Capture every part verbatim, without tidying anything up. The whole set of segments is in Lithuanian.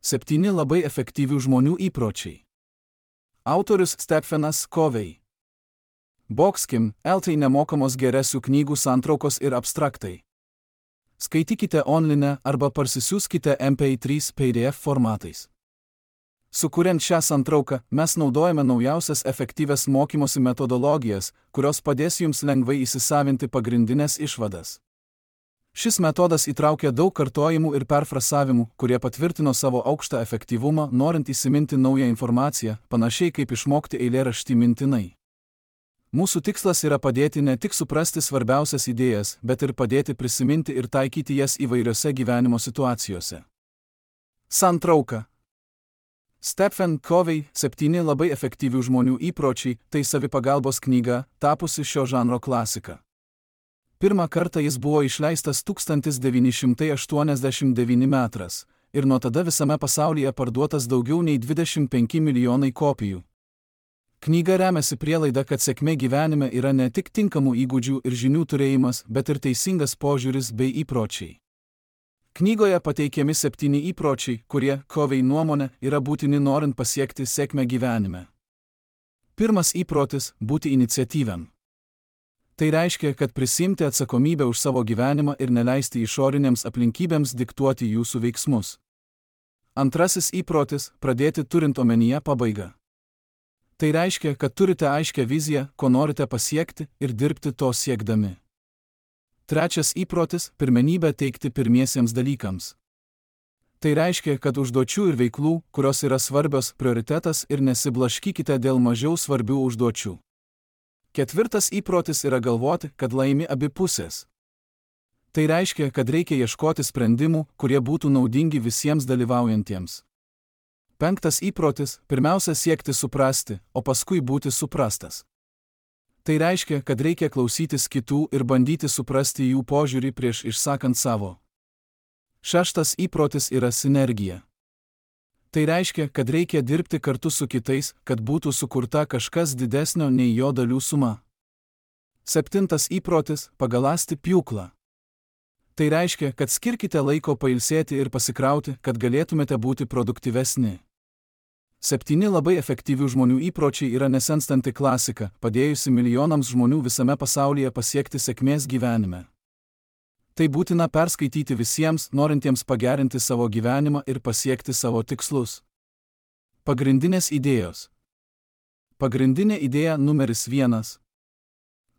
Septyni labai efektyvių žmonių įpročiai. Autorius Stephenas Covey. Boxkim, eltai nemokamos geresių knygų santraukos ir abstraktai. Skaitykite online arba parsisiųskite M P trys P D F formatais. Sukuriant šią santrauką, mes naudojame naujausias efektyvias mokymosi metodologijas, kurios padės jums lengvai įsisavinti pagrindinės išvadas. Šis metodas įtraukia daug kartojimų ir perfrasavimų, kurie patvirtino savo aukštą efektyvumą, norint įsiminti naują informaciją, panašiai kaip išmokti eilėraštį mintinai. Mūsų tikslas yra padėti ne tik suprasti svarbiausias idėjas, bet ir padėti prisiminti ir taikyti jas įvairiose gyvenimo situacijose. Santrauka. Stephen Covey Septyni labai efektyvių žmonių įpročiai tai savipagalbos knyga, tapusi šio žanro klasika. Pirmą kartą jis buvo išleistas tūkstantis devyni šimtai aštuoniasdešimt devinti metais ir nuo tada visame pasaulyje parduotas daugiau nei dvidešimt penki milijonai kopijų. Knyga remiasi prielaida, kad sėkmė gyvenime yra ne tik tinkamų įgūdžių ir žinių turėjimas, bet ir teisingas požiūris bei įpročiai. Knygoje pateikiami septyni įpročiai, kurie, Covey nuomone, yra būtini norint pasiekti sėkmę gyvenime. Pirmas įprotis – būti iniciatyviam. Tai reiškia, kad prisimti atsakomybę už savo gyvenimą ir neleisti išorinėms aplinkybėms diktuoti jūsų veiksmus. Antrasis įprotis – pradėti turint omenyje pabaigą. Tai reiškia, kad turite aiškią viziją, ko norite pasiekti ir dirbti to siekdami. Trečias įprotis – pirmenybę teikti pirmiesiems dalykams. Tai reiškia, kad užduočių ir veiklų, kurios yra svarbios, prioritetas ir nesiblaškykite dėl mažiau svarbių užduočių. Ketvirtas įprotis yra galvoti, kad laimi abi pusės. Tai reiškia, kad reikia ieškoti sprendimų, kurie būtų naudingi visiems dalyvaujantiems. Penktas įprotis – pirmiausia siekti suprasti, o paskui būti suprastas. Tai reiškia, kad reikia klausytis kitų ir bandyti suprasti jų požiūrį prieš išsakant savo. Šeštas įprotis yra sinergija. Tai reiškia, kad reikia dirbti kartu su kitais, kad būtų sukurta kažkas didesnio nei jo dalių suma. Septintas įprotis – pagaląsti pjūklą. Tai reiškia, kad skirkite laiko pailsėti ir pasikrauti, kad galėtumėte būti produktyvesni. Septyni labai efektyvių žmonių įpročiai yra nesenstanti klasika, padėjusi milijonams žmonių visame pasaulyje pasiekti sėkmės gyvenime. Tai būtina perskaityti visiems, norintiems pagerinti savo gyvenimą ir pasiekti savo tikslus. Pagrindinės idėjos. Pagrindinė idėja numeris vienas.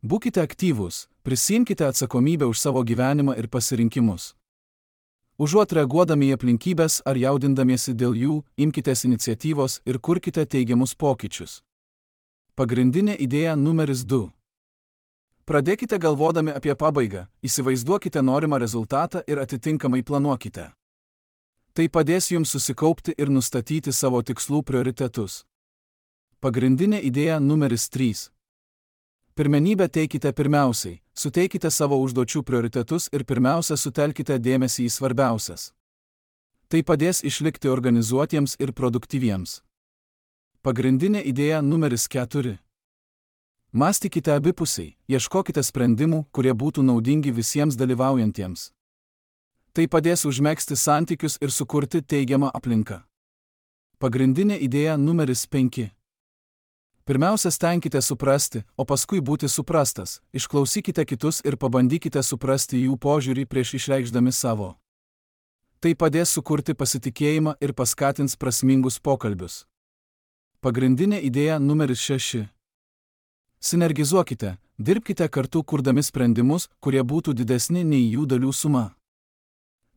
Būkite aktyvūs, prisiimkite atsakomybę už savo gyvenimą ir pasirinkimus. Užuot reaguodami į aplinkybės ar jaudindamiesi dėl jų, imkitės iniciatyvos ir kurkite teigiamus pokyčius. Pagrindinė idėja numeris du. Pradėkite galvodami apie pabaigą, įsivaizduokite norimą rezultatą ir atitinkamai planuokite. Tai padės jums susikaupti ir nustatyti savo tikslų prioritetus. Pagrindinė idėja numeris trys. Pirmenybę teikite pirmiausiai, suteikite savo užduočių prioritetus ir pirmiausia sutelkite dėmesį į svarbiausias. Tai padės išlikti organizuotiems ir produktyviems. Pagrindinė idėja numeris keturi. Mąstykite abipusiai, ieškokite sprendimų, kurie būtų naudingi visiems dalyvaujantiems. Tai padės užmegzti santykius ir sukurti teigiamą aplinką. Pagrindinė idėja numeris penki. Pirmiausia, stenkite suprasti, o paskui būti suprastas, išklausykite kitus ir pabandykite suprasti jų požiūrį prieš išreikšdami savo. Tai padės sukurti pasitikėjimą ir paskatins prasmingus pokalbius. Pagrindinė idėja numeris šeši. Sinergizuokite, dirbkite kartu kurdami sprendimus, kurie būtų didesni nei jų dalių suma.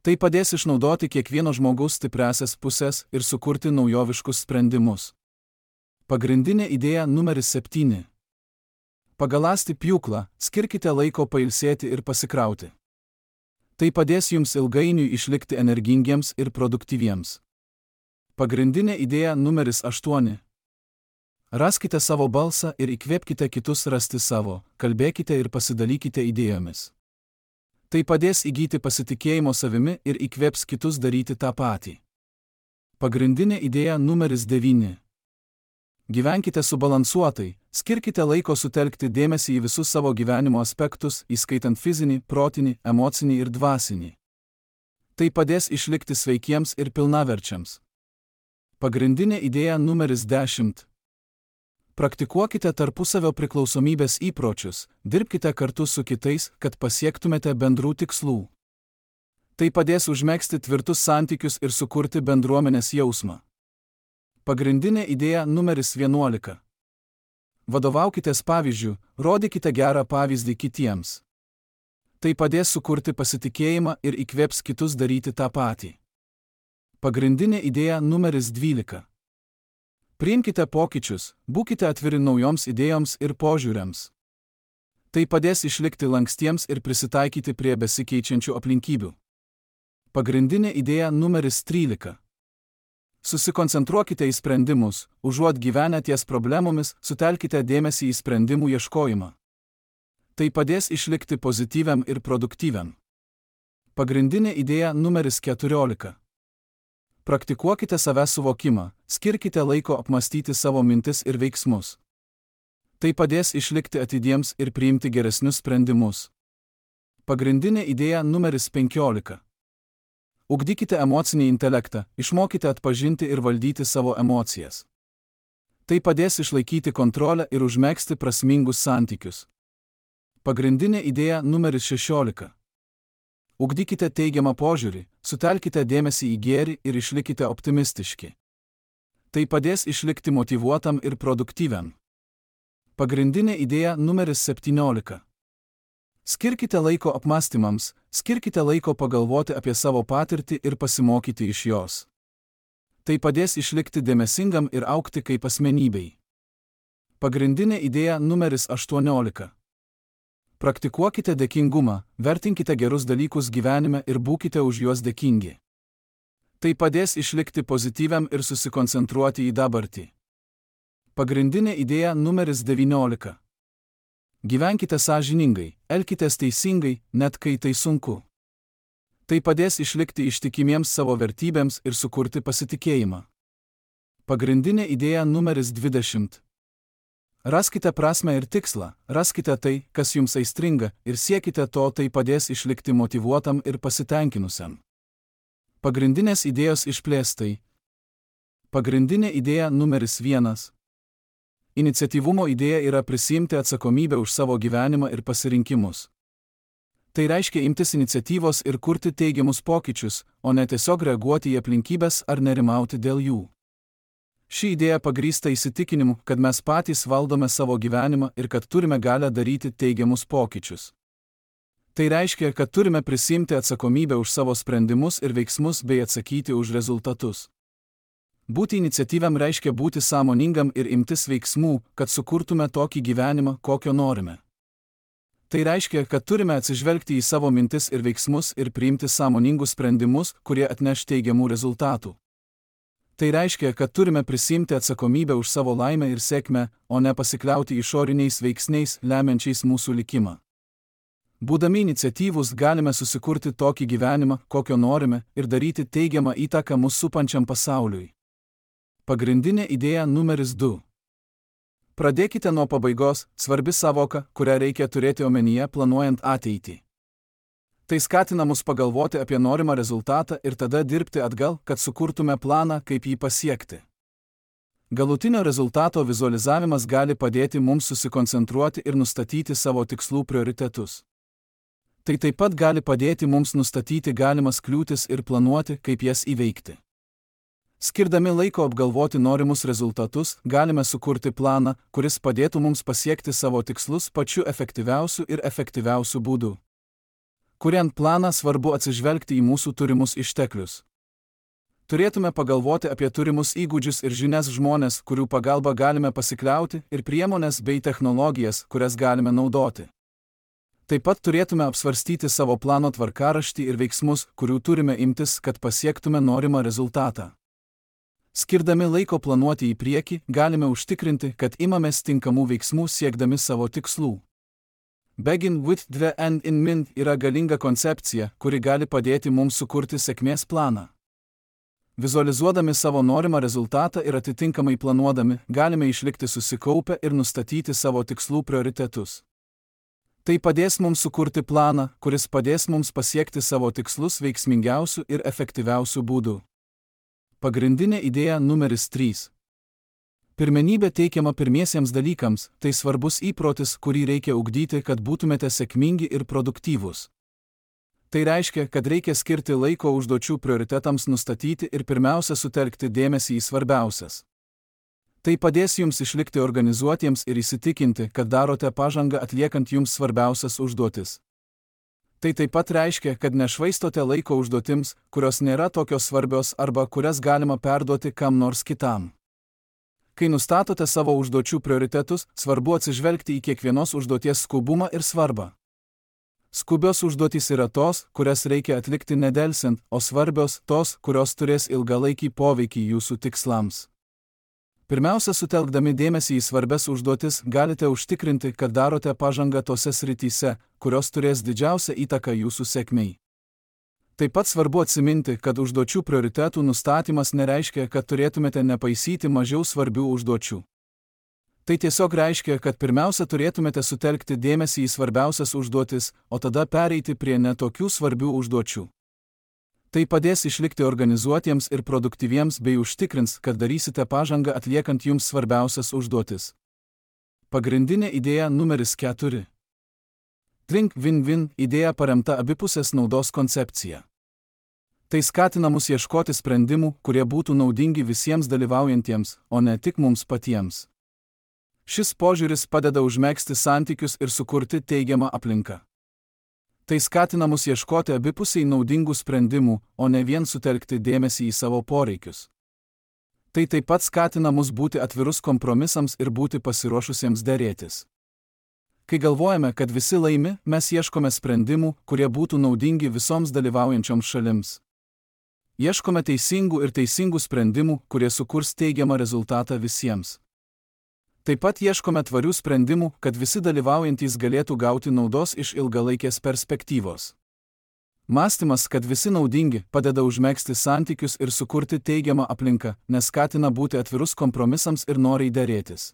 Tai padės išnaudoti kiekvieno žmogaus stipriąsias pusės ir sukurti naujoviškus sprendimus. Pagrindinė idėja numeris septyni. Pagaląsti pjūklą, skirkite laiko pailsėti ir pasikrauti. Tai padės jums ilgainiui išlikti energingiems ir produktyviems. Pagrindinė idėja numeris aštuoni. Raskite savo balsą ir įkvėpkite kitus rasti savo, kalbėkite ir pasidalykite idėjomis. Tai padės įgyti pasitikėjimo savimi ir įkvėps kitus daryti tą patį. Pagrindinė idėja numeris devyni. Gyvenkite subalansuotai, skirkite laiko sutelkti dėmesį į visus savo gyvenimo aspektus, įskaitant fizinį, protinį, emocinį ir dvasinį. Tai padės išlikti sveikiems ir pilnaverčiams. Pagrindinė idėja numeris dešimt. Praktikuokite tarpusavio priklausomybės įpročius, dirbkite kartu su kitais, kad pasiektumėte bendrų tikslų. Tai padės užmegzti tvirtus santykius ir sukurti bendruomenės jausmą. Pagrindinė idėja numeris vienuolika. Vadovaukitės pavyzdžiu, rodykite gerą pavyzdį kitiems. Tai padės sukurti pasitikėjimą ir įkvėps kitus daryti tą patį. Pagrindinė idėja numeris dvylika. Priimkite pokyčius, būkite atviri naujoms idėjoms ir požiūriams. Tai padės išlikti lankstiems ir prisitaikyti prie besikeičiančių aplinkybių. Pagrindinė idėja numeris trylika. Susikoncentruokite į sprendimus, užuot gyvenę ties problemomis, sutelkite dėmesį į sprendimų ieškojimą. Tai padės išlikti pozityviam ir produktyviam. Pagrindinė idėja numeris keturiolika. Praktikuokite savęs suvokimą, skirkite laiko apmastyti savo mintis ir veiksmus. Tai padės išlikti atidiems ir priimti geresnius sprendimus. Pagrindinė idėja numeris penkiolika. Ugdykite emocinį intelektą, išmokite atpažinti ir valdyti savo emocijas. Tai padės išlaikyti kontrolę ir užmegzti prasmingus santykius. Pagrindinė idėja numeris šešiolika. Ugdykite teigiamą požiūrį, sutelkite dėmesį į gėrį ir išlikite optimistiški. Tai padės išlikti motyvuotam ir produktyviam. Pagrindinė idėja numeris septyniolika. Skirkite laiko apmąstymams, skirkite laiko pagalvoti apie savo patirtį ir pasimokyti iš jos. Tai padės išlikti dėmesingam ir augti kaip asmenybei. Pagrindinė idėja numeris aštuoniolika. Praktikuokite dėkingumą, vertinkite gerus dalykus gyvenime ir būkite už juos dėkingi. Tai padės išlikti pozityviam ir susikoncentruoti į dabartį. Pagrindinė idėja numeris devyniolika. Gyvenkite sąžiningai, elkitės teisingai, net kai tai sunku. Tai padės išlikti ištikimiems savo vertybėms ir sukurti pasitikėjimą. Pagrindinė idėja numeris dvidešimt. Raskite prasmę ir tikslą, raskite tai, kas jums aistringa, ir siekite to, tai padės išlikti motyvuotam ir pasitenkinusiam. Pagrindinės idėjos išplėstai. Pagrindinė idėja numeris vienas. Iniciatyvumo idėja yra prisiimti atsakomybę už savo gyvenimą ir pasirinkimus. Tai reiškia imtis iniciatyvos ir kurti teigiamus pokyčius, o ne tiesiog reaguoti į aplinkybes ar nerimauti dėl jų. Ši idėja pagrįsta įsitikinimu, kad mes patys valdome savo gyvenimą ir kad turime galią daryti teigiamus pokyčius. Tai reiškia, kad turime prisiimti atsakomybę už savo sprendimus ir veiksmus bei atsakyti už rezultatus. Būti iniciatyviam reiškia būti sąmoningam ir imtis veiksmų, kad sukurtume tokį gyvenimą, kokio norime. Tai reiškia, kad turime atsižvelgti į savo mintis ir veiksmus ir priimti sąmoningus sprendimus, kurie atneš teigiamų rezultatų. Tai reiškia, kad turime prisiimti atsakomybę už savo laimę ir sėkmę, o ne pasikliauti išoriniais veiksniais, lemiančiais mūsų likimą. Būdami iniciatyvūs galime susikurti tokį gyvenimą, kokio norime, ir daryti teigiamą įtaką mūsų supančiam pasauliui. Pagrindinė idėja numeris du. Pradėkite nuo pabaigos, svarbi savoka, kurią reikia turėti omenyje planuojant ateitį. Tai skatina mus pagalvoti apie norimą rezultatą ir tada dirbti atgal, kad sukurtume planą, kaip jį pasiekti. Galutinio rezultato vizualizavimas gali padėti mums susikoncentruoti ir nustatyti savo tikslų prioritetus. Tai taip pat gali padėti mums nustatyti galimas kliūtis ir planuoti, kaip jas įveikti. Skirdami laiko apgalvoti norimus rezultatus, galime sukurti planą, kuris padėtų mums pasiekti savo tikslus pačiu efektyviausiu ir efektyviausiu būdu. Kuriant planą svarbu atsižvelgti į mūsų turimus išteklius. Turėtume pagalvoti apie turimus įgūdžius ir žinias žmonės, kurių pagalba galime pasikliauti, ir priemones bei technologijas, kurias galime naudoti. Taip pat turėtume apsvarstyti savo plano tvarkaraštį ir veiksmus, kurių turime imtis, kad pasiektume norimą rezultatą. Skirdami laiko planuoti į priekį, galime užtikrinti, kad imamės tinkamų veiksmų siekdami savo tikslų. Begin with the end in mind yra galinga koncepcija, kuri gali padėti mums sukurti sėkmės planą. Vizualizuodami savo norimą rezultatą ir atitinkamai planuodami, galime išlikti susikaupę ir nustatyti savo tikslų prioritetus. Tai padės mums sukurti planą, kuris padės mums pasiekti savo tikslus veiksmingiausių ir efektyviausių būdų. Pagrindinė idėja numeris trys. Pirmenybė teikiama pirmiesiems dalykams, tai svarbus įprotis, kurį reikia ugdyti, kad būtumėte sėkmingi ir produktyvūs. Tai reiškia, kad reikia skirti laiko užduočių prioritetams nustatyti ir pirmiausia sutelkti dėmesį į svarbiausias. Tai padės jums išlikti organizuotiems ir įsitikinti, kad darote pažangą atliekant jums svarbiausias užduotis. Tai taip pat reiškia, kad nešvaistote laiko užduotims, kurios nėra tokios svarbios arba kurias galima perduoti kam nors kitam. Kai nustatote savo užduočių prioritetus, svarbu atsižvelgti į kiekvienos užduoties skubumą ir svarbą. Skubios užduotys yra tos, kurias reikia atlikti nedelsiant, o svarbios tos, kurios turės ilgalaikį poveikį jūsų tikslams. Pirmiausia, sutelkdami dėmesį į svarbias užduotis, galite užtikrinti, kad darote pažangą tose srityse, kurios turės didžiausią įtaką jūsų sėkmei. Taip pat svarbu atsiminti, kad užduočių prioritetų nustatymas nereiškia, kad turėtumėte nepaisyti mažiau svarbių užduočių. Tai tiesiog reiškia, kad pirmiausia turėtumėte sutelkti dėmesį į svarbiausias užduotis, o tada pereiti prie netokių svarbių užduočių. Tai padės išlikti organizuotiems ir produktyviems bei užtikrins, kad darysite pažangą atliekant jums svarbiausias užduotis. Pagrindinė idėja numeris keturi. Think win-win idėja paremta abipusės naudos koncepcija. Tai skatina mus ieškoti sprendimų, kurie būtų naudingi visiems dalyvaujantiems, o ne tik mums patiems. Šis požiūris padeda užmegzti santykius ir sukurti teigiamą aplinką. Tai skatina mus ieškoti abipusiai naudingų sprendimų, o ne vien sutelkti dėmesį į savo poreikius. Tai taip pat skatina mus būti atvirus kompromisams ir būti pasiruošusiems derėtis. Kai galvojame, kad visi laimi, mes ieškome sprendimų, kurie būtų naudingi visoms dalyvaujančioms šalims. Ieškome teisingų ir teisingų sprendimų, kurie sukurs teigiamą rezultatą visiems. Taip pat ieškome tvarių sprendimų, kad visi dalyvaujantys galėtų gauti naudos iš ilgalaikės perspektyvos. Mąstymas, kad visi naudingi, padeda užmegzti santykius ir sukurti teigiamą aplinką, nes skatina būti atvirus kompromisams ir noriai derėtis.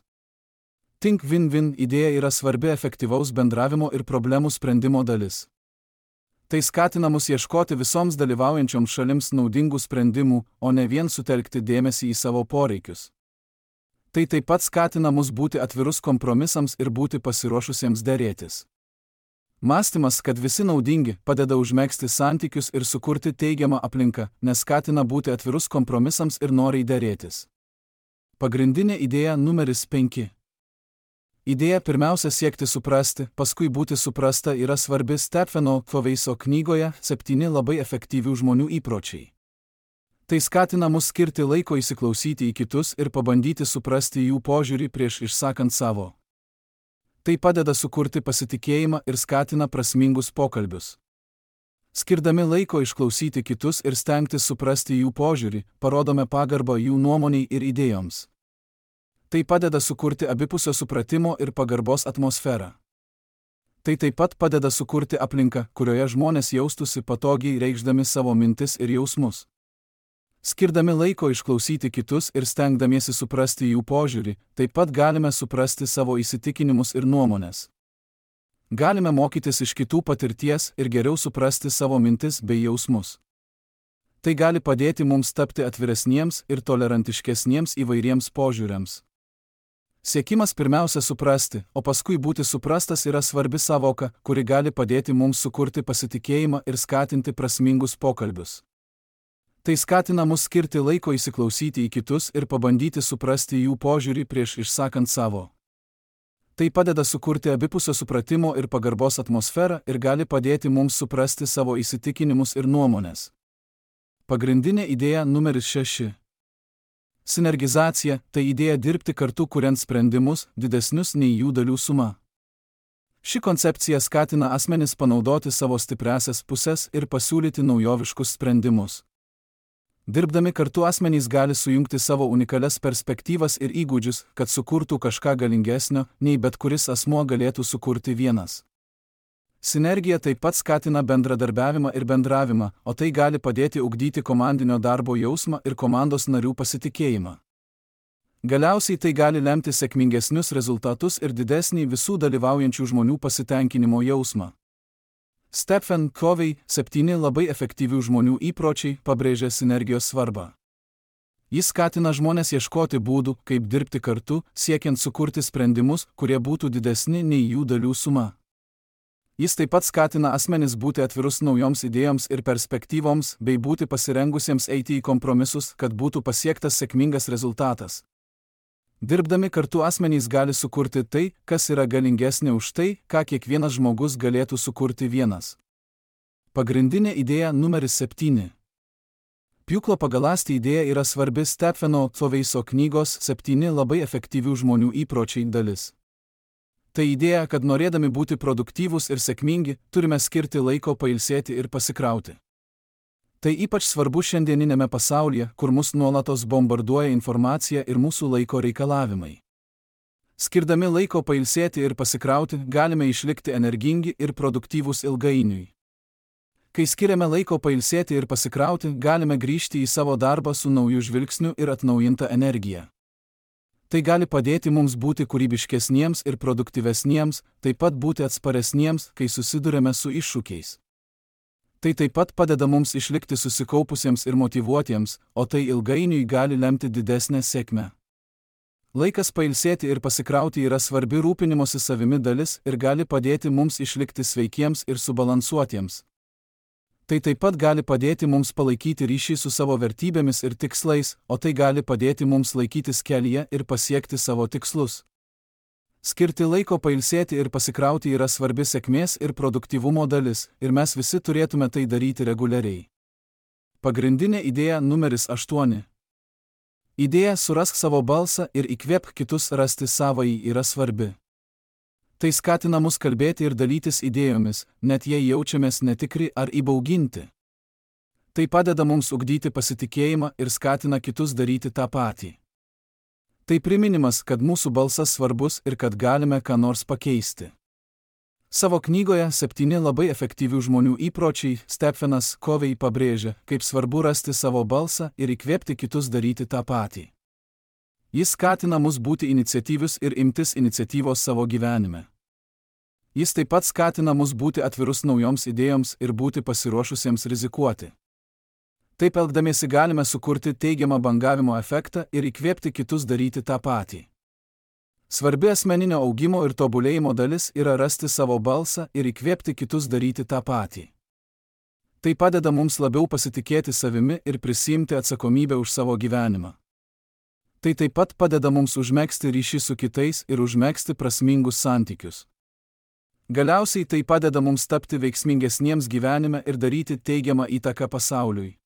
Think win-win idėja yra svarbi efektyvaus bendravimo ir problemų sprendimo dalis. Tai skatina mus ieškoti visoms dalyvaujančioms šalims naudingų sprendimų, o ne vien sutelkti dėmesį į savo poreikius. Tai taip pat skatina mus būti atvirus kompromisams ir būti pasiruošusiems derėtis. Mąstymas, kad visi naudingi, padeda užmegzti santykius ir sukurti teigiamą aplinką, nes skatina būti atvirus kompromisams ir noriai derėtis. Pagrindinė idėja numeris penki. Idėja pirmiausia siekti suprasti, paskui būti suprasta yra svarbi Stepheno Covey'so knygoje septyni labai efektyvių žmonių įpročiai. Tai skatina mus skirti laiko įsiklausyti į kitus ir pabandyti suprasti jų požiūrį prieš išsakant savo. Tai padeda sukurti pasitikėjimą ir skatina prasmingus pokalbius. Skirdami laiko išklausyti kitus ir stengtis suprasti jų požiūrį, parodome pagarbą jų nuomoniai ir idėjoms. Tai padeda sukurti abipusio supratimo ir pagarbos atmosferą. Tai taip pat padeda sukurti aplinką, kurioje žmonės jaustųsi patogiai reikšdami savo mintis ir jausmus. Skirdami laiko išklausyti kitus ir stengdamiesi suprasti jų požiūrį, taip pat galime suprasti savo įsitikinimus ir nuomonės. Galime mokytis iš kitų patirties ir geriau suprasti savo mintis bei jausmus. Tai gali padėti mums tapti atviresniems ir tolerantiškesniems įvairiems požiūriams. Siekimas pirmiausia suprasti, o paskui būti suprastas yra svarbi sąvoka, kuri gali padėti mums sukurti pasitikėjimą ir skatinti prasmingus pokalbius. Tai skatina mus skirti laiko įsiklausyti į kitus ir pabandyti suprasti jų požiūrį prieš išsakant savo. Tai padeda sukurti abipusio supratimo ir pagarbos atmosferą ir gali padėti mums suprasti savo įsitikinimus ir nuomonės. Pagrindinė idėja numeris šeši. Sinergizacija – tai idėja dirbti kartu kuriant sprendimus, didesnius nei jų dalių suma. Ši koncepcija skatina asmenis panaudoti savo stipriąsias puses ir pasiūlyti naujoviškus sprendimus. Dirbdami kartu asmenys gali sujungti savo unikalias perspektyvas ir įgūdžius, kad sukurtų kažką galingesnio, nei bet kuris asmuo galėtų sukurti vienas. Sinergija taip pat skatina bendradarbiavimą ir bendravimą, o tai gali padėti ugdyti komandinio darbo jausmą ir komandos narių pasitikėjimą. Galiausiai tai gali lemti sėkmingesnius rezultatus ir didesnį visų dalyvaujančių žmonių pasitenkinimo jausmą. Stephen Covey septyni labai efektyvių žmonių įpročiai pabrėžia sinergijos svarbą. Jis skatina žmones ieškoti būdų, kaip dirbti kartu, siekiant sukurti sprendimus, kurie būtų didesni nei jų dalių suma. Jis taip pat skatina asmenis būti atvirus naujoms idėjoms ir perspektyvoms, bei būti pasirengusiems eiti į kompromisus, kad būtų pasiektas sėkmingas rezultatas. Dirbdami kartu asmenys gali sukurti tai, kas yra galingesnė už tai, ką kiekvienas žmogus galėtų sukurti vienas. Pagrindinė idėja numeris septyni. Pjūklo pagaląsti idėja yra svarbi Stepheno Coveyso knygos septyni labai efektyvių žmonių įpročiai dalis. Tai idėja, kad norėdami būti produktyvūs ir sėkmingi, turime skirti laiko pailsėti ir pasikrauti. Tai ypač svarbu šiandieninėme pasaulyje, kur mus nuolatos bombarduoja informacija ir mūsų laiko reikalavimai. Skirdami laiko pailsėti ir pasikrauti, galime išlikti energingi ir produktyvūs ilgainiui. Kai skiriame laiko pailsėti ir pasikrauti, galime grįžti į savo darbą su nauju žvilgsniu ir atnaujinta energija. Tai gali padėti mums būti kūrybiškesniems ir produktyvesniems, taip pat būti atsparesniems, kai susidurėme su iššūkiais. Tai taip pat padeda mums išlikti susikaupusiems ir motyvuotiems, o tai ilgainiui gali lemti didesnę sėkmę. Laikas pailsėti ir pasikrauti yra svarbi rūpinimosi savimi dalis ir gali padėti mums išlikti sveikiems ir subalansuotiems. Tai taip pat gali padėti mums palaikyti ryšį su savo vertybėmis ir tikslais, o tai gali padėti mums laikytis kelyje ir pasiekti savo tikslus. Skirti laiko pailsėti ir pasikrauti yra svarbi sėkmės ir produktyvumo dalis, ir mes visi turėtume tai daryti reguliariai. Pagrindinė idėja numeris aštuoni. Idėja surask savo balsą ir įkvėpk kitus rasti savąjį yra svarbi. Tai skatina mus kalbėti ir dalytis idėjomis, net jei jaučiamės netikri ar įbauginti. Tai padeda mums ugdyti pasitikėjimą ir skatina kitus daryti tą patį. Tai priminimas, kad mūsų balsas svarbus ir kad galime ką nors pakeisti. Savo knygoje septyni labai efektyvių žmonių įpročiai Stephenas Covey pabrėžia, kaip svarbu rasti savo balsą ir įkvėpti kitus daryti tą patį. Jis skatina mus būti iniciatyvius ir imtis iniciatyvos savo gyvenime. Jis taip pat skatina mus būti atvirus naujoms idėjoms ir būti pasiruošusiems rizikuoti. Taip elgdamiesi galime sukurti teigiamą bangavimo efektą ir įkvėpti kitus daryti tą patį. Svarbi asmeninio augimo ir tobulėjimo dalis yra rasti savo balsą ir įkvėpti kitus daryti tą patį. Tai padeda mums labiau pasitikėti savimi ir prisiimti atsakomybę už savo gyvenimą. Tai taip pat padeda mums užmegzti ryšį su kitais ir užmegzti prasmingus santykius. Galiausiai tai padeda mums tapti veiksmingesniems gyvenime ir daryti teigiamą įtaką pasauliui.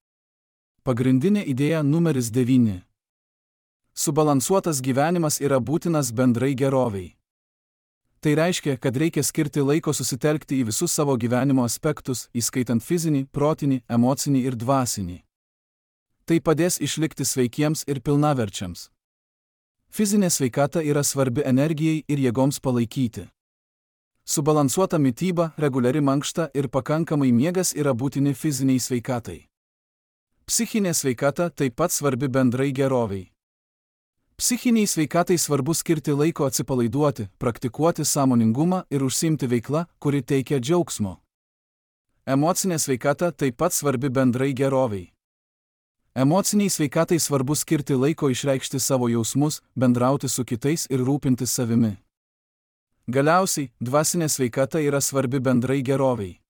Pagrindinė idėja numeris devyni. Subalansuotas gyvenimas yra būtinas bendrai gerovei. Tai reiškia, kad reikia skirti laiko susitelkti į visus savo gyvenimo aspektus, įskaitant fizinį, protinį, emocinį ir dvasinį. Tai padės išlikti sveikiems ir pilnaverčiams. Fizinė sveikata yra svarbi energijai ir jėgoms palaikyti. Subalansuota mityba, reguliari mankšta ir pakankamai miegas yra būtini fiziniai sveikatai. Psichinė sveikata taip pat svarbi bendrai gerovei. Psichiniai sveikatai svarbu skirti laiko atsipalaiduoti, praktikuoti sąmoningumą ir užsiimti veiklą, kuri teikia džiaugsmo. Emocinė sveikata taip pat svarbi bendrai gerovei. Emociniai sveikatai svarbu skirti laiko išreikšti savo jausmus, bendrauti su kitais ir rūpintis savimi. Galiausiai, dvasinė sveikata yra svarbi bendrai gerovei.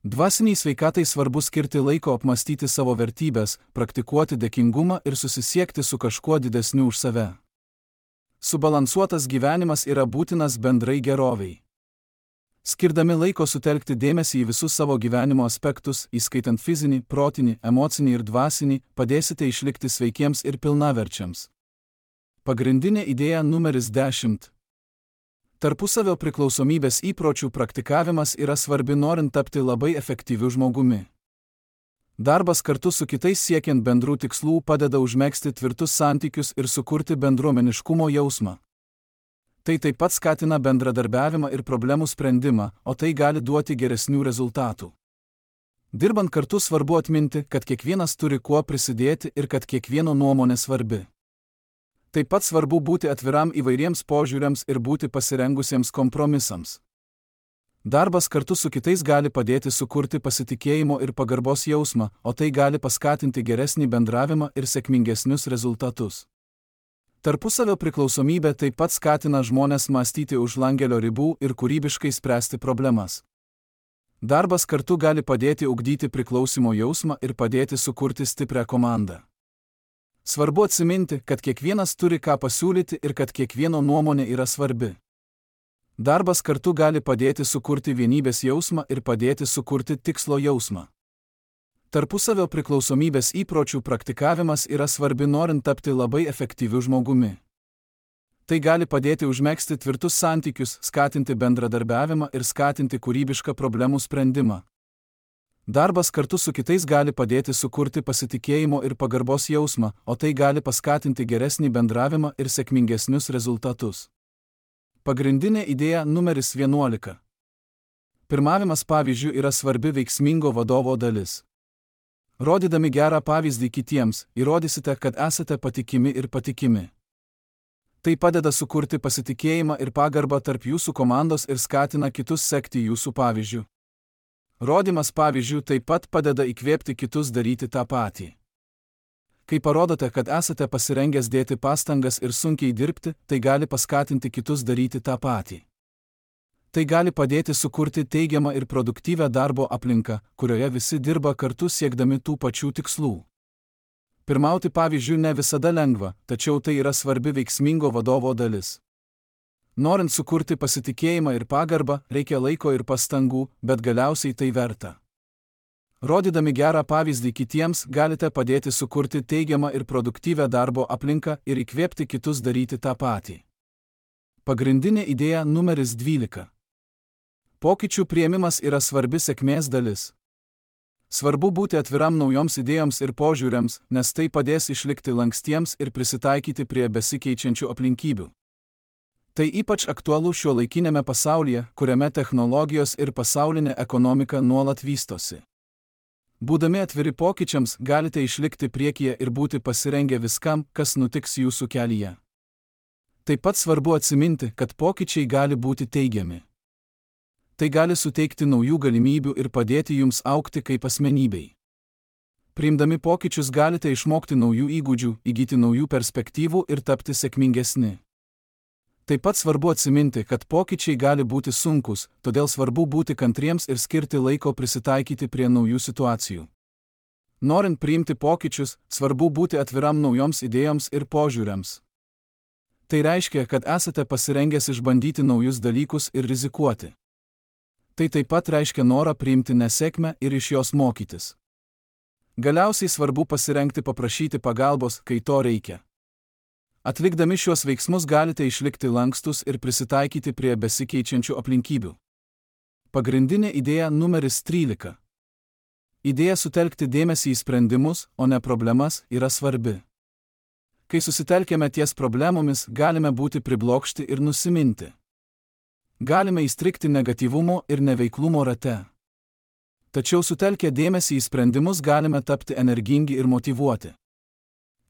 Dvasiniai sveikatai svarbu skirti laiko apmastyti savo vertybės, praktikuoti dėkingumą ir susisiekti su kažkuo didesniu už save. Subalansuotas gyvenimas yra būtinas bendrai gerovei. Skirdami laiko sutelkti dėmesį į visus savo gyvenimo aspektus, įskaitant fizinį, protinį, emocinį ir dvasinį, padėsite išlikti sveikiems ir pilnaverčiams. Pagrindinė idėja numeris dešimt. Tarpusavio priklausomybės įpročių praktikavimas yra svarbi norint tapti labai efektyviu žmogumi. Darbas kartu su kitais siekiant bendrų tikslų padeda užmegzti tvirtus santykius ir sukurti bendruomeniškumo jausmą. Tai taip pat skatina bendradarbiavimą ir problemų sprendimą, o tai gali duoti geresnių rezultatų. Dirbant kartu svarbu atminti, kad kiekvienas turi kuo prisidėti ir kad kiekvieno nuomonė svarbi. Taip pat svarbu būti atviram įvairiems požiūriams ir būti pasirengusiems kompromisams. Darbas kartu su kitais gali padėti sukurti pasitikėjimo ir pagarbos jausmą, o tai gali paskatinti geresnį bendravimą ir sėkmingesnius rezultatus. Tarpusavio priklausomybė taip pat skatina žmones mąstyti už langelio ribų ir kūrybiškai spręsti problemas. Darbas kartu gali padėti ugdyti priklausimo jausmą ir padėti sukurti stiprią komandą. Svarbu atsiminti, kad kiekvienas turi ką pasiūlyti ir kad kiekvieno nuomonė yra svarbi. Darbas kartu gali padėti sukurti vienybės jausmą ir padėti sukurti tikslo jausmą. Tarpusavio priklausomybės įpročių praktikavimas yra svarbi norint tapti labai efektyviu žmogumi. Tai gali padėti užmegzti tvirtus santykius, skatinti bendradarbiavimą ir skatinti kūrybišką problemų sprendimą. Darbas kartu su kitais gali padėti sukurti pasitikėjimo ir pagarbos jausmą, o tai gali paskatinti geresnį bendravimą ir sėkmingesnius rezultatus. Pagrindinė idėja numeris vienuolika. Pirmavimas pavyzdžių yra svarbi veiksmingo vadovo dalis. Rodydami gerą pavyzdį kitiems, įrodysite, kad esate patikimi ir patikimi. Tai padeda sukurti pasitikėjimą ir pagarbą tarp jūsų komandos ir skatina kitus sekti jūsų pavyzdžių. Rodymas pavyzdžių taip pat padeda įkvėpti kitus daryti tą patį. Kai parodote, kad esate pasirengęs dėti pastangas ir sunkiai dirbti, tai gali paskatinti kitus daryti tą patį. Tai gali padėti sukurti teigiamą ir produktyvią darbo aplinką, kurioje visi dirba kartu siekdami tų pačių tikslų. Pirmauti pavyzdžių ne visada lengva, tačiau tai yra svarbi veiksmingo vadovo dalis. Norint sukurti pasitikėjimą ir pagarbą, reikia laiko ir pastangų, bet galiausiai tai verta. Rodydami gerą pavyzdį kitiems, galite padėti sukurti teigiamą ir produktyvią darbo aplinką ir įkvėpti kitus daryti tą patį. Pagrindinė idėja numeris dvylika. Pokyčių priėmimas yra svarbi sėkmės dalis. Svarbu būti atviram naujoms idėjoms ir požiūriams, nes tai padės išlikti lankstiems ir prisitaikyti prie besikeičiančių aplinkybių. Tai ypač aktualu šiuolaikinėme pasaulyje, kuriame technologijos ir pasaulinė ekonomika nuolat vystosi. Būdami atviri pokyčiams, galite išlikti priekyje ir būti pasirengę viskam, kas nutiks jūsų kelyje. Taip pat svarbu atsiminti, kad pokyčiai gali būti teigiami. Tai gali suteikti naujų galimybių ir padėti jums augti kaip asmenybei. Priimdami pokyčius galite išmokti naujų įgūdžių, įgyti naujų perspektyvų ir tapti sėkmingesni. Taip pat svarbu atsiminti, kad pokyčiai gali būti sunkus, todėl svarbu būti kantriems ir skirti laiko prisitaikyti prie naujų situacijų. Norint priimti pokyčius, svarbu būti atviram naujoms idėjoms ir požiūriams. Tai reiškia, kad esate pasirengęs išbandyti naujus dalykus ir rizikuoti. Tai taip pat reiškia norą priimti nesėkmę ir iš jos mokytis. Galiausiai svarbu pasirengti paprašyti pagalbos, kai to reikia. Atlikdami šiuos veiksmus galite išlikti lankstus ir prisitaikyti prie besikeičiančių aplinkybių. Pagrindinė idėja numeris trylika. Idėja sutelkti dėmesį į sprendimus, o ne problemas, yra svarbi. Kai susitelkėme ties problemomis, galime būti priblokšti ir nusiminti. Galime įstrigti negatyvumo ir neveiklumo rate. Tačiau sutelkę dėmesį į sprendimus galime tapti energingi ir motyvuoti.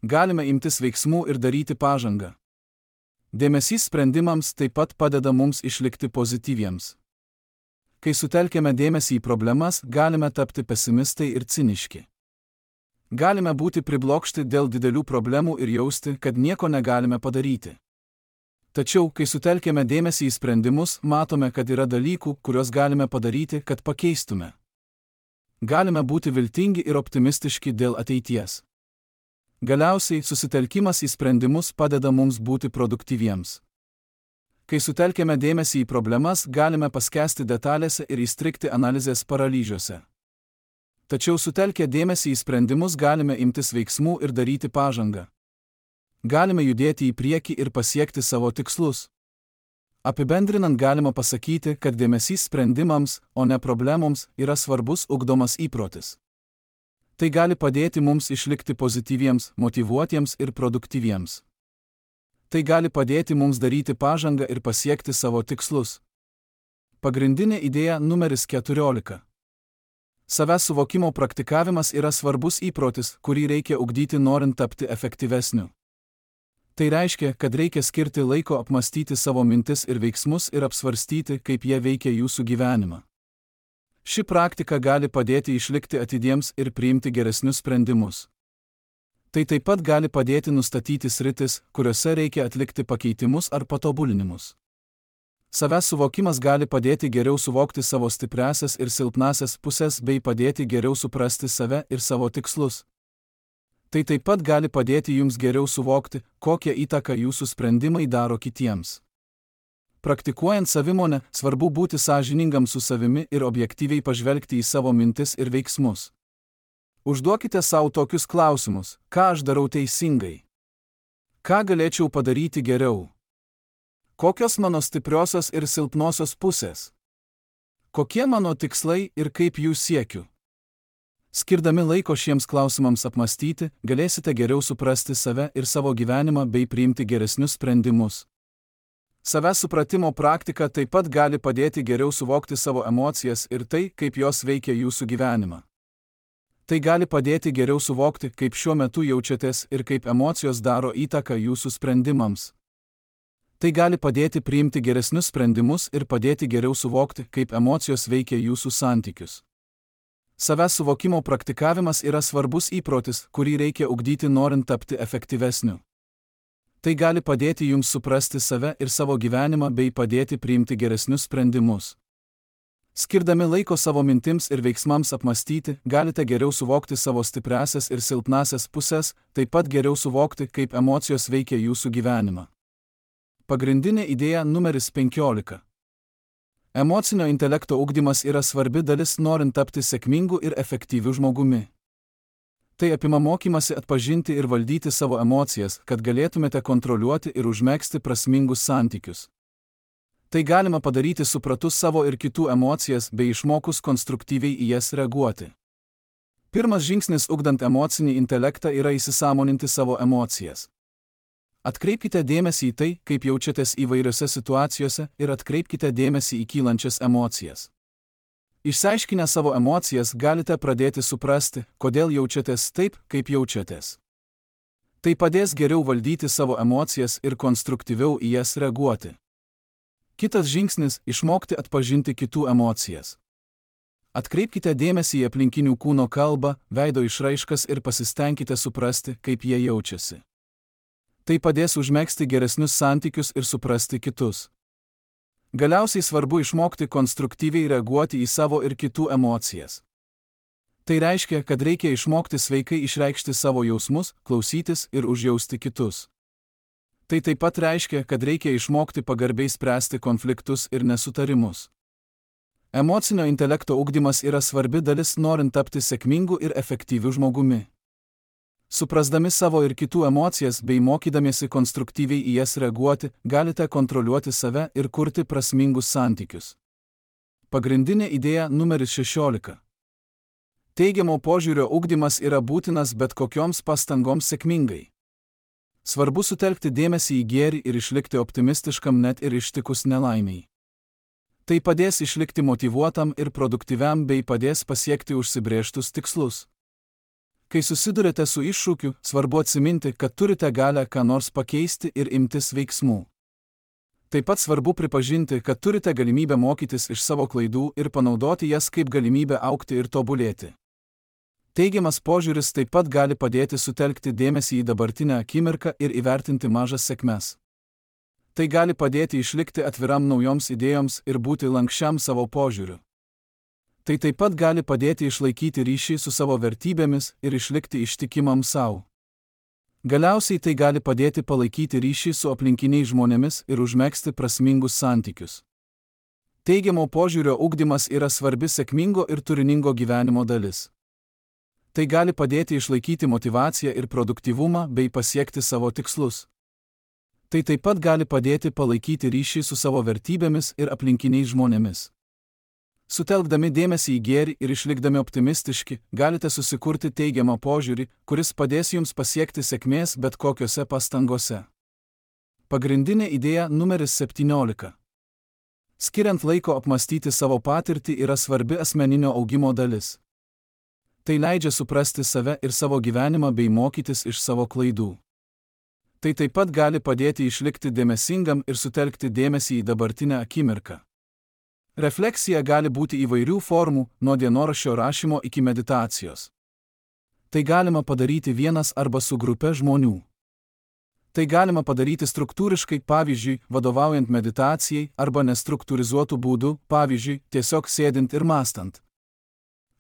Galime imtis veiksmų ir daryti pažangą. Dėmesys sprendimams taip pat padeda mums išlikti pozityviems. Kai sutelkėme dėmesį į problemas, galime tapti pesimistai ir ciniški. Galime būti priblokšti dėl didelių problemų ir jausti, kad nieko negalime padaryti. Tačiau, kai sutelkėme dėmesį į sprendimus, matome, kad yra dalykų, kuriuos galime padaryti, kad pakeistume. Galime būti viltingi ir optimistiški dėl ateities. Galiausiai, susitelkimas į sprendimus padeda mums būti produktyviems. Kai sutelkėme dėmesį į problemas, galime paskesti detalėse ir įstrigti analizės paralyžiuose. Tačiau sutelkę dėmesį į sprendimus galime imtis veiksmų ir daryti pažangą. Galime judėti į priekį ir pasiekti savo tikslus. Apibendrinant galima pasakyti, kad dėmesys sprendimams, o ne problemoms, yra svarbus ugdomas įprotis. Tai gali padėti mums išlikti pozityviems, motyvuotiems ir produktyviems. Tai gali padėti mums daryti pažangą ir pasiekti savo tikslus. Pagrindinė idėja numeris keturiolika. Savęs suvokimo praktikavimas yra svarbus įprotis, kurį reikia ugdyti norint tapti efektyvesniu. Tai reiškia, kad reikia skirti laiko apmastyti savo mintis ir veiksmus ir apsvarstyti, kaip jie veikia jūsų gyvenimą. Ši praktika gali padėti išlikti atidiems ir priimti geresnius sprendimus. Tai taip pat gali padėti nustatyti sritis, kuriuose reikia atlikti pakeitimus ar patobulinimus. Savęs suvokimas gali padėti geriau suvokti savo stipriąsias ir silpnąsias pusės bei padėti geriau suprasti save ir savo tikslus. Tai taip pat gali padėti jums geriau suvokti, kokią įtaką jūsų sprendimai daro kitiems. Praktikuojant savimonę, svarbu būti sąžiningam su savimi ir objektyviai pažvelgti į savo mintis ir veiksmus. Užduokite savo tokius klausimus: ką aš darau teisingai? Ką galėčiau padaryti geriau? Kokios mano stipriosios ir silpnosios pusės? Kokie mano tikslai ir kaip jų siekiu? Skirdami laiko šiems klausimams apmastyti, galėsite geriau suprasti save ir savo gyvenimą bei priimti geresnius sprendimus. Savęs supratimo praktika taip pat gali padėti geriau suvokti savo emocijas ir tai, kaip jos veikia jūsų gyvenimą. Tai gali padėti geriau suvokti, kaip šiuo metu jaučiatės ir kaip emocijos daro įtaką jūsų sprendimams. Tai gali padėti priimti geresnius sprendimus ir padėti geriau suvokti, kaip emocijos veikia jūsų santykius. Savęs suvokimo praktikavimas yra svarbus įprotis, kurį reikia ugdyti norint tapti efektyvesniu. Tai gali padėti jums suprasti save ir savo gyvenimą bei padėti priimti geresnius sprendimus. Skirdami laiko savo mintims ir veiksmams apmastyti, galite geriau suvokti savo stipriąsias ir silpnąsias pusės, taip pat geriau suvokti, kaip emocijos veikia jūsų gyvenimą. Pagrindinė idėja numeris penkiolika. Emocinio intelekto ugdymas yra svarbi dalis norint tapti sėkmingu ir efektyviu žmogumi. Tai apima mokymasi atpažinti ir valdyti savo emocijas, kad galėtumėte kontroliuoti ir užmegzti prasmingus santykius. Tai galima padaryti supratus savo ir kitų emocijas bei išmokus konstruktyviai į jas reaguoti. Pirmas žingsnis ugdant emocinį intelektą yra įsisąmoninti savo emocijas. Atkreipkite dėmesį į tai, kaip jaučiatės įvairiose situacijose ir atkreipkite dėmesį į kylančias emocijas. Išsiaiškinę savo emocijas galite pradėti suprasti, kodėl jaučiatės taip, kaip jaučiatės. Tai padės geriau valdyti savo emocijas ir konstruktyviau į jas reaguoti. Kitas žingsnis – išmokti atpažinti kitų emocijas. Atkreipkite dėmesį į aplinkinių kūno kalbą, veido išraiškas ir pasistengkite suprasti, kaip jie jaučiasi. Tai padės užmegzti geresnius santykius ir suprasti kitus. Galiausiai svarbu išmokti konstruktyviai reaguoti į savo ir kitų emocijas. Tai reiškia, kad reikia išmokti sveikai išreikšti savo jausmus, klausytis ir užjausti kitus. Tai taip pat reiškia, kad reikia išmokti pagarbiai spręsti konfliktus ir nesutarimus. Emocinio intelekto ugdymas yra svarbi dalis norint tapti sėkmingu ir efektyviu žmogumi. Suprasdami savo ir kitų emocijas bei mokydamiesi konstruktyviai į jas reaguoti, galite kontroliuoti save ir kurti prasmingus santykius. Pagrindinė idėja numeris šešiolika. Teigiamo požiūrio ugdymas yra būtinas bet kokioms pastangoms sėkmingai. Svarbu sutelkti dėmesį į gėrį ir išlikti optimistiškam net ir ištikus nelaimiai. Tai padės išlikti motyvuotam ir produktyviam bei padės pasiekti užsibrėžtus tikslus. Kai susidurite su iššūkiu, svarbu atsiminti, kad turite galią ką nors pakeisti ir imtis veiksmų. Taip pat svarbu pripažinti, kad turite galimybę mokytis iš savo klaidų ir panaudoti jas kaip galimybę augti ir tobulėti. Teigiamas požiūris taip pat gali padėti sutelkti dėmesį į dabartinę akimirką ir įvertinti mažas sėkmes. Tai gali padėti išlikti atviram naujoms idėjoms ir būti lankščiam savo požiūriu. Tai taip pat gali padėti išlaikyti ryšį su savo vertybėmis ir išlikti ištikimam savo. Galiausiai tai gali padėti palaikyti ryšį su aplinkiniais žmonėmis ir užmegzti prasmingus santykius. Teigiamo požiūrio ugdymas yra svarbi sėkmingo ir turiningo gyvenimo dalis. Tai gali padėti išlaikyti motyvaciją ir produktyvumą bei pasiekti savo tikslus. Tai taip pat gali padėti palaikyti ryšį su savo vertybėmis ir aplinkiniais žmonėmis. Sutelkdami dėmesį į gėrį ir išlikdami optimistiški, galite susikurti teigiamą požiūrį, kuris padės jums pasiekti sėkmės bet kokiose pastangose. Pagrindinė idėja numeris septyniolika. Skiriant laiko apmastyti savo patirtį yra svarbi asmeninio augimo dalis. Tai leidžia suprasti save ir savo gyvenimą bei mokytis iš savo klaidų. Tai taip pat gali padėti išlikti dėmesingam ir sutelkti dėmesį į dabartinę akimirką. Refleksija gali būti įvairių formų, nuo dienoraščio rašymo iki meditacijos. Tai galima padaryti vienas arba su grupe žmonių. Tai galima padaryti struktūriškai, pavyzdžiui, vadovaujant meditacijai, arba nestruktūrizuotų būdų, pavyzdžiui, tiesiog sėdint ir mąstant.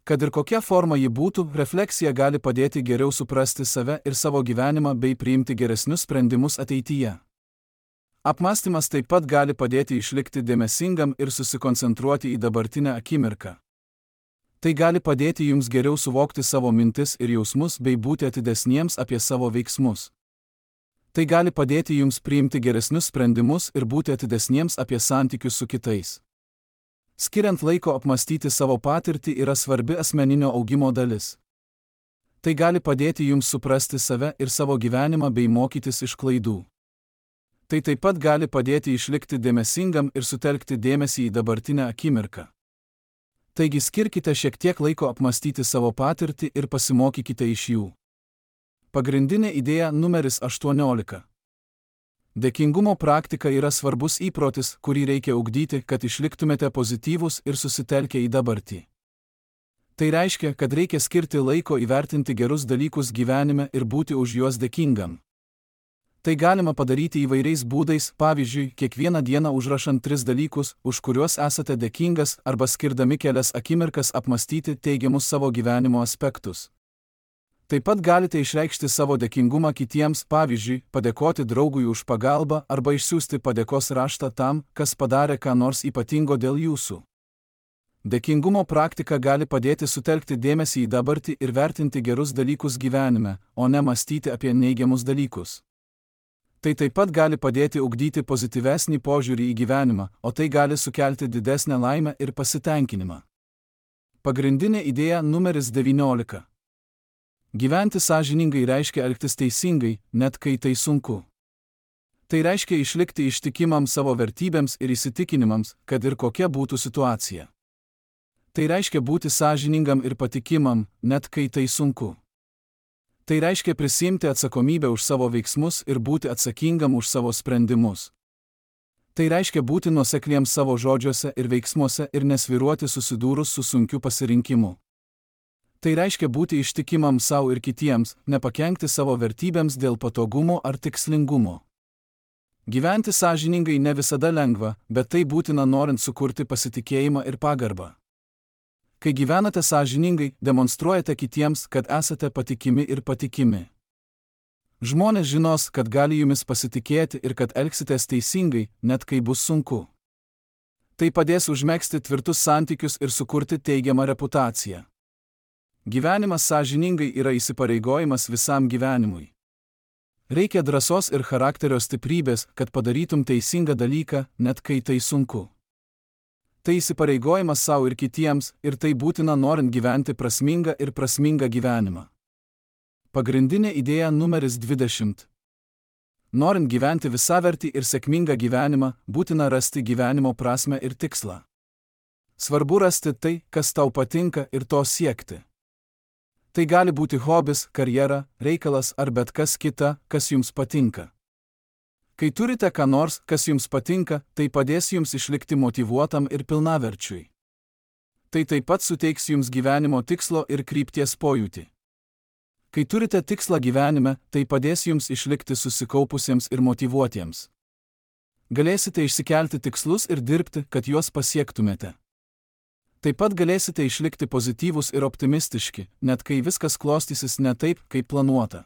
Kad ir kokia forma ji būtų, refleksija gali padėti geriau suprasti save ir savo gyvenimą bei priimti geresnius sprendimus ateityje. Apmąstymas taip pat gali padėti išlikti dėmesingam ir susikoncentruoti į dabartinę akimirką. Tai gali padėti jums geriau suvokti savo mintis ir jausmus bei būti atidesniems apie savo veiksmus. Tai gali padėti jums priimti geresnius sprendimus ir būti atidesniems apie santykius su kitais. Skiriant laiko apmąstyti savo patirtį yra svarbi asmeninio augimo dalis. Tai gali padėti jums suprasti save ir savo gyvenimą bei mokytis iš klaidų. Tai taip pat gali padėti išlikti dėmesingam ir sutelkti dėmesį į dabartinę akimirką. Taigi skirkite šiek tiek laiko apmąstyti savo patirtį ir pasimokykite iš jų. Pagrindinė idėja numeris aštuoniolika. Dėkingumo praktika yra svarbus įprotis, kurį reikia ugdyti, kad išliktumėte pozityvūs ir susitelkę į dabartį. Tai reiškia, kad reikia skirti laiko įvertinti gerus dalykus gyvenime ir būti už juos dėkingam. Tai galima padaryti įvairiais būdais, pavyzdžiui, kiekvieną dieną užrašant tris dalykus, už kuriuos esate dėkingas, arba skirdami kelias akimirkas apmąstyti teigiamus savo gyvenimo aspektus. Taip pat galite išreikšti savo dėkingumą kitiems, pavyzdžiui, padėkoti draugui už pagalbą arba išsiųsti padėkos raštą tam, kas padarė ką nors ypatingo dėl jūsų. Dėkingumo praktika gali padėti sutelkti dėmesį į dabartį ir vertinti gerus dalykus gyvenime, o ne mąstyti apie neigiamus dalykus. Tai taip pat gali padėti ugdyti pozityvesnį požiūrį į gyvenimą, o tai gali sukelti didesnę laimę ir pasitenkinimą. Pagrindinė idėja numeris devyniolika. Gyventi sąžiningai reiškia elgtis teisingai, net kai tai sunku. Tai reiškia išlikti ištikimam savo vertybėms ir įsitikinimams, kad ir kokia būtų situacija. Tai reiškia būti sąžiningam ir patikimam, net kai tai sunku. Tai reiškia prisiimti atsakomybę už savo veiksmus ir būti atsakingam už savo sprendimus. Tai reiškia būti nuosekliems savo žodžiuose ir veiksmuose ir nesvyruoti susidūrus su sunkiu pasirinkimu. Tai reiškia būti ištikimam savo ir kitiems, nepakenkti savo vertybėms dėl patogumo ar tikslingumo. Gyventi sąžiningai ne visada lengva, bet tai būtina norint sukurti pasitikėjimą ir pagarbą. Kai gyvenate sąžiningai, demonstruojate kitiems, kad esate patikimi ir patikimi. Žmonės žinos, kad gali jumis pasitikėti ir kad elgsitės teisingai, net kai bus sunku. Tai padės užmegzti tvirtus santykius ir sukurti teigiamą reputaciją. Gyvenimas sąžiningai yra įsipareigojimas visam gyvenimui. Reikia drąsos ir charakterio stiprybės, kad padarytum teisingą dalyką, net kai tai sunku. Tai įsipareigojimas savo ir kitiems, ir tai būtina norint gyventi prasmingą ir prasmingą gyvenimą. Pagrindinė idėja numeris dvidešimt. Norint gyventi visavertį ir sėkmingą gyvenimą, būtina rasti gyvenimo prasmę ir tikslą. Svarbu rasti tai, kas tau patinka, ir to siekti. Tai gali būti hobis, karjera, reikalas ar bet kas kita, kas jums patinka. Kai turite ką nors, kas jums patinka, tai padės jums išlikti motyvuotam ir pilnaverčiui. Tai taip pat suteiks jums gyvenimo tikslo ir krypties pojūtį. Kai turite tikslą gyvenime, tai padės jums išlikti susikaupusiems ir motyvuotiems. Galėsite išsikelti tikslus ir dirbti, kad juos pasiektumėte. Taip pat galėsite išlikti pozityvūs ir optimistiški, net kai viskas klostysis ne taip, kaip planuota.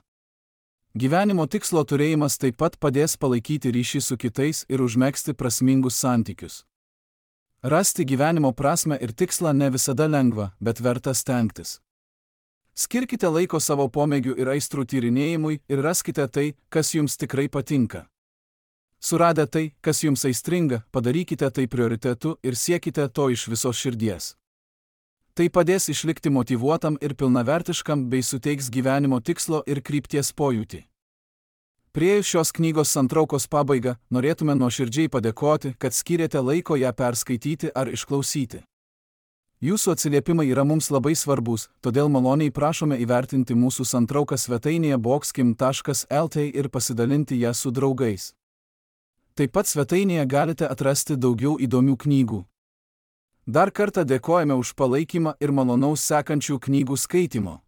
Gyvenimo tikslo turėjimas taip pat padės palaikyti ryšį su kitais ir užmegzti prasmingus santykius. Rasti gyvenimo prasmę ir tikslą ne visada lengva, bet verta stengtis. Skirkite laiko savo pomėgių ir aistrų tyrinėjimui ir raskite tai, kas jums tikrai patinka. Suradę tai, kas jums aistringa, padarykite tai prioritetu ir siekite to iš visos širdies. Tai padės išlikti motyvuotam ir pilnavertiškam bei suteiks gyvenimo tikslo ir krypties pojūtį. Priėjus šios knygos santraukos pabaigą, norėtume nuoširdžiai padėkoti, kad skyrėte laiko ją perskaityti ar išklausyti. Jūsų atsiliepimai yra mums labai svarbus, todėl maloniai prašome įvertinti mūsų santrauką svetainėje boxkim taškas lt ir pasidalinti ją su draugais. Taip pat svetainėje galite atrasti daugiau įdomių knygų. Dar kartą dėkojame už palaikymą ir malonaus sekančių knygų skaitymo.